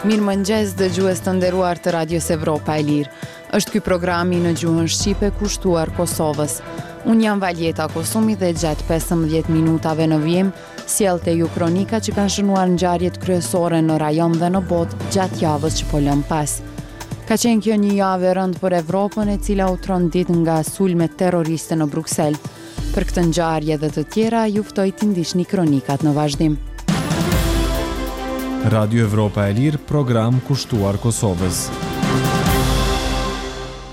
Mirëmëngjes dëgjues të nderuar të Radios Evropa e Lirë. Është ky programi në gjuhën shqipe kushtuar Kosovës. Unë jam Valjeta Kosumi dhe gjatë 15 minutave në vijim sjell te ju kronika që kanë shënuar ngjarjet kryesore në rajon dhe në botë gjatë javës që po lëmë pas. Ka qenë kjo një javë e rëndë për Evropën e cila u trondit nga sulmet terroriste në Bruksel. Për këtë ngjarje dhe të tjera, ju ftoj t'i ndiqni kronikat në vazhdim. Radio Evropa e Lirë, program kushtuar Kosovës.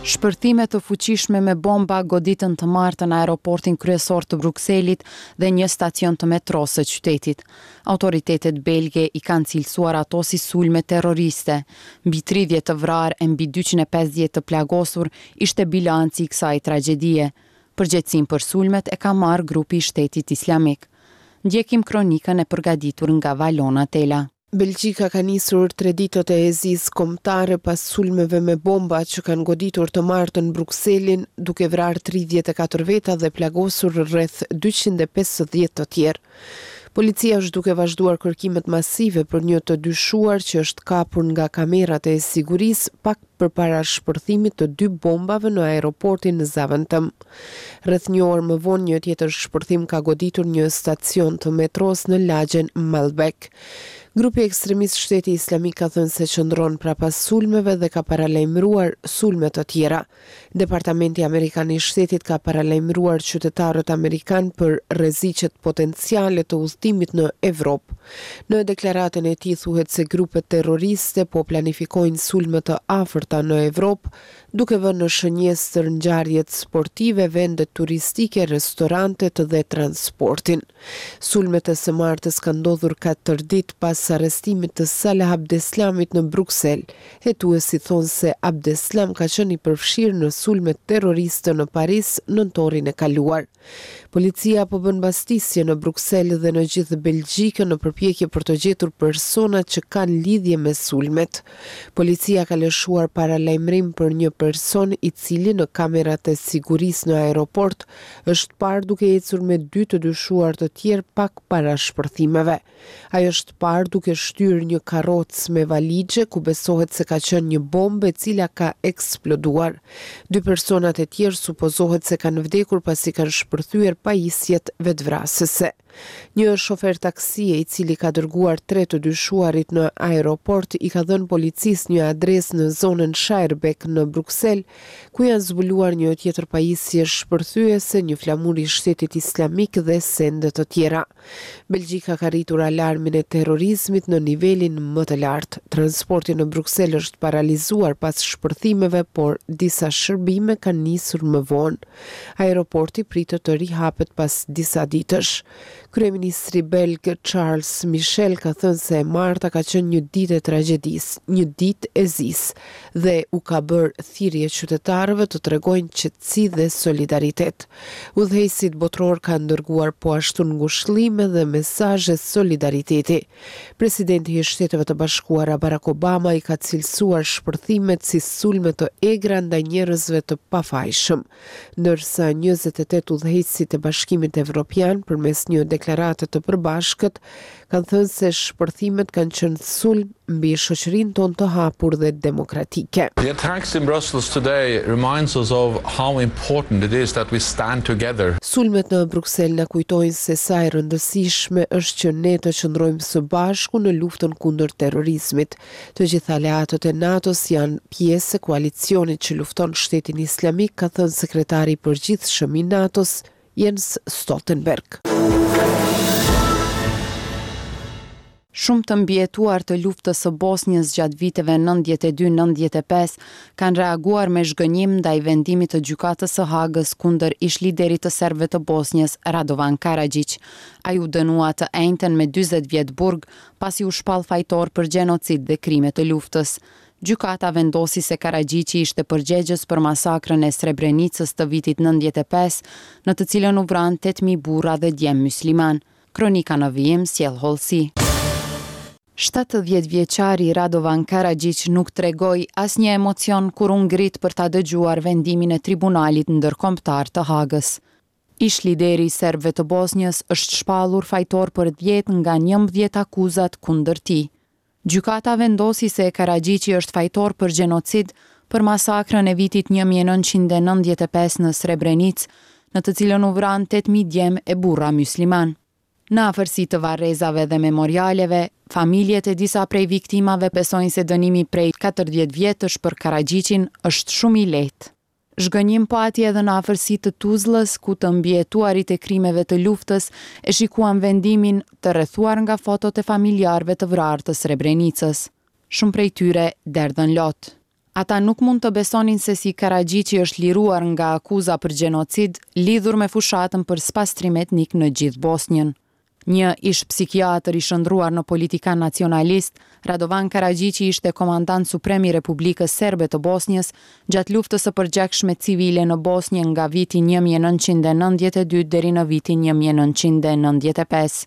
Shpërthime të fuqishme me bomba goditën të martën aeroportin kryesor të Brukselit dhe një stacion të metrosë së qytetit. Autoritetet belge i kanë cilësuar ato si sulme terroriste. Mbi 30 të vrarë e mbi 250 të plagosur ishte bilanci i kësaj tragjedie. Përgjegjësinë për sulmet e ka marrë grupi i Shtetit Islamik. Ndjekim kronikën e përgatitur nga Valona Tela. Belgjika ka nisur tre ditët e zisë kombëtare pas sulmeve me bomba që kanë goditur të martën Brukselin, duke vrarë 34 veta dhe plagosur rreth 250 të tjerë. Policia është duke vazhduar kërkimet masive për një të dyshuar që është kapur nga kamerat e sigurisë pak përpara shpërthimit të dy bombave në aeroportin Zaventem. Rreth një orë më vonë një tjetër shpërthim ka goditur një stacion të metros në lagjen Maelbeek. Grupi ekstremist Shteti Islamik ka thënë se qëndron prapa sulmeve dhe ka paralajmëruar sulme të tjera. Departamenti Amerikan i Shtetit ka paralajmëruar qytetarët amerikanë për rreziqet potenciale të udhëtimit në Evropë. Në deklaratën e tij thuhet se grupet terroriste po planifikojnë sulme të afërta në Evropë, duke vënë në shënjestër ngjarjet sportive, vendet turistike, restorantet dhe transportin. Sulmet e së martës kanë ndodhur katër ditë pas arrestimit të Salah Abdeslamit në Bruksel. Hetuesit thonë se Abdeslam ka qenë i përfshirë në sulmet terroriste në Paris nëntorin e kaluar. Policia po bën bastisje në Bruksel dhe në gjithë Belgjikën në përpjekje për të gjetur personat që kanë lidhje me sulmet. Policia ka lëshuar paralajmërim për një person i cili në kamerat e sigurisë në aeroport është parë duke ecur me dy të dyshuar të tjerë pak para shpërthimeve. Ai është parë duke shtyrë një karrocë me valixhe ku besohet se ka qenë një bombë e cila ka eksploduar. Dy personat e tjerë supozohet se kanë vdekur pasi kanë shpërthyer pajisjet vetëvrasëse. Një shofer taksie i cili ka dërguar tre të dyshuarit në aeroport i ka dhënë policisë një adresë në zonën Schaerbeek në Bruksel, ku janë zbuluar një tjetër pajisje shpërthyese, një flamur i Shtetit Islamik dhe sende të tjera. Belgjika ka rritur alarmin e terrorizmit në nivelin më të lartë. Transporti në Bruksel është paralizuar pas shpërthimeve, por disa shërbime kanë nisur më vonë. Aeroporti pritet të rihapet pas disa ditësh. Kryeministri belg Charles Michel ka thënë se e marta ka qenë një ditë e tragjedisë, një ditë e zisë dhe u ka bërë thirrje qytetarëve të tregojnë qetësi dhe solidaritet. Udhëheqësit botërorë kanë dërguar po ashtu ngushëllime dhe mesazhe solidariteti. Presidenti i Shteteve të Bashkuara, Barack Obama i ka cilësuar shpërthimet si sulme të egra ndaj njerëzve të pafajshëm. Ndërsa 28 udhëheqësit e Bashkimit Evropian përmes një deklarate të përbashkët kanë thënë se shpërthimet kanë qenë sulm mbi shoqërinë tonë të hapur dhe demokratike. The attacks in Brussels today reminds us of how important it is that we stand together. Sulmet në Bruksel na kujtojnë se sa e rëndësishme është që ne të qëndrojmë së bashku në luftën kundër terrorizmit. Të gjithë aleatët e NATO-s janë pjesë e koalicionit që lufton Shtetin Islamik, ka thënë sekretari i përgjithshëm i NATO-s, Jens Stoltenberg. Shumë të mbijetuar të luftës së Bosnjës gjatë viteve 92-95 kanë reaguar me zhgënjim ndaj vendimit të Gjykatës së Hagës kundër ish-liderit të serbëve të Bosnjës, Radovan Karaxhiq. Ai u dënua të enjten me 40 vjet burg, pasi u shpall fajtor për gjenocid dhe krime të luftës. Gjykata vendosi se Karaxhiqi ishte përgjegjës për masakrën e Srebrenicës të vitit 95, në të cilën u vranë 8000 burra dhe djem musliman. Kronika në vijim sjell hollësi. 70 vjeçari Radovan Karaxhiq nuk tregoi asnjë emocion kur u ngrit për ta dëgjuar vendimin e Tribunalit Ndërkombëtar të Hagës. Ish lideri i serbëve të Bosnjës është shpallur fajtor për 10 nga 11 akuzat kundër tij. Gjykata vendosi se Karaxhiqi është fajtor për gjenocid për masakrën e vitit 1995 në Srebrenicë, në të cilën u vranë 8.000 djem e burra myslimanë. Në afërsi të varrezave dhe memorialeve, familjet e disa prej viktimave besojnë se dënimi prej 40 vjetësh për Karaxhiqin është shumë i lehtë. Zhgënjim pati edhe në afërsi të Tuzllës, ku të mbijetuarit e krimeve të luftës e shikuan vendimin të rrethuar nga fotot e familjarëve të vrarë të Srebrenicës. Shumë prej tyre derdhën lot. Ata nuk mund të besonin se si Karaxhiqi është liruar nga akuza për gjenocid lidhur me fushatën për spastrim etnik në gjithë Bosnjën. Një ish-psikiatër i shndërruar në politikan nacionalist, Radovan Karaxhiqi ishte komandant suprem i Republikës Serbe të Bosnjës gjatë luftës së përgjakshme civile në Bosnjë nga viti 1992 deri në vitin 1995.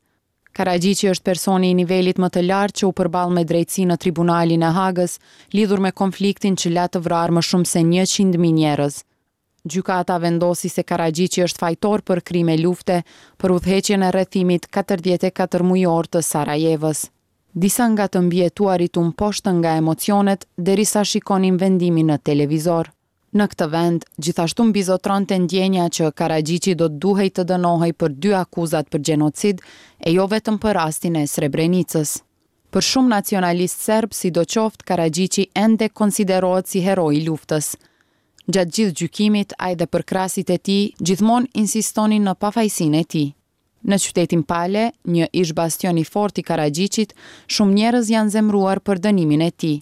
Karaxhiqi është personi i nivelit më të lartë që u përball me drejtësi në Tribunalin e Hagës, lidhur me konfliktin që la të vrarë më shumë se 100.000 njerëz. Gjykata vendosi se Karaxhiqi është fajtor për krime lufte për udhëheqjen e rrethimit 44 mujor të Sarajevës. Disa nga të mbijetuarit u mposhtën nga emocionet derisa shikonin vendimin në televizor. Në këtë vend, gjithashtu mbizotronte ndjenja që Karaxhiqi do të duhej të dënohej për dy akuzat për gjenocid e jo vetëm për rastin e Srebrenicës. Për shumë nacionalistë serbë, sidoqoftë, Karaxhiqi ende konsiderohet si hero i luftës. Gjatë gjithë gjykimit, ai dhe përkrahësit e tij gjithmonë insistonin në pafajësinë e tij. Në qytetin Pale, një ish-bastion i fortë i Karaxhiqit, shumë njerëz janë zemëruar për dënimin e tij.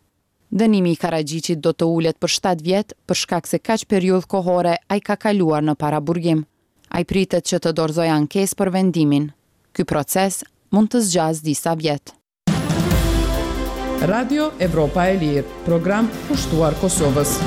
Dënimi i Karaxhiqit do të ulet për 7 vjet, për shkak se kaq periudhë kohore ai ka kaluar në paraburgim. Ai pritet që të dorëzojë ankesë për vendimin. Ky proces mund të zgjasë disa vjet. Radio Evropa e Lirë, program kushtuar Kosovës.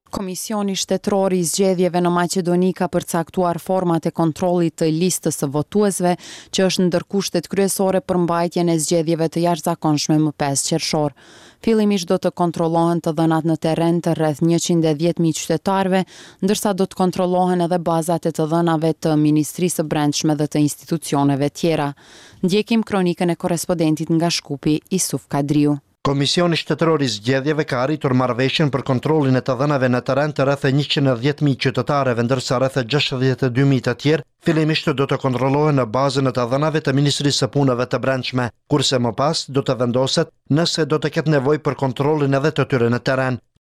Komisioni Shtetëror i Zgjedhjeve në Maqedoni ka përcaktuar format e kontrollit të listës së votuesve, që është ndër kushtet kryesore për mbajtjen e zgjedhjeve të jashtëzakonshme më 5 qershor. Fillimisht do të kontrollohen të dhënat në terren të rreth 110.000 qytetarëve, ndërsa do të kontrollohen edhe bazat e të dhënave të Ministrisë së Brendshme dhe të institucioneve tjera. Ndjekim kronikën e korrespondentit nga Shkupi, Isuf Kadriu. Komisioni Shtetëror i Zgjedhjeve ka arritur marrëveshjen për kontrollin e të dhënave në terren të rreth 110.000 qytetarëve, ndërsa rreth 62.000 të tjerë fillimisht do të kontrollohen në bazën e të dhënave të Ministrisë së Punëve të Brendshme, kurse më pas do të vendoset nëse do të ketë nevojë për kontrollin edhe të tyre në terren.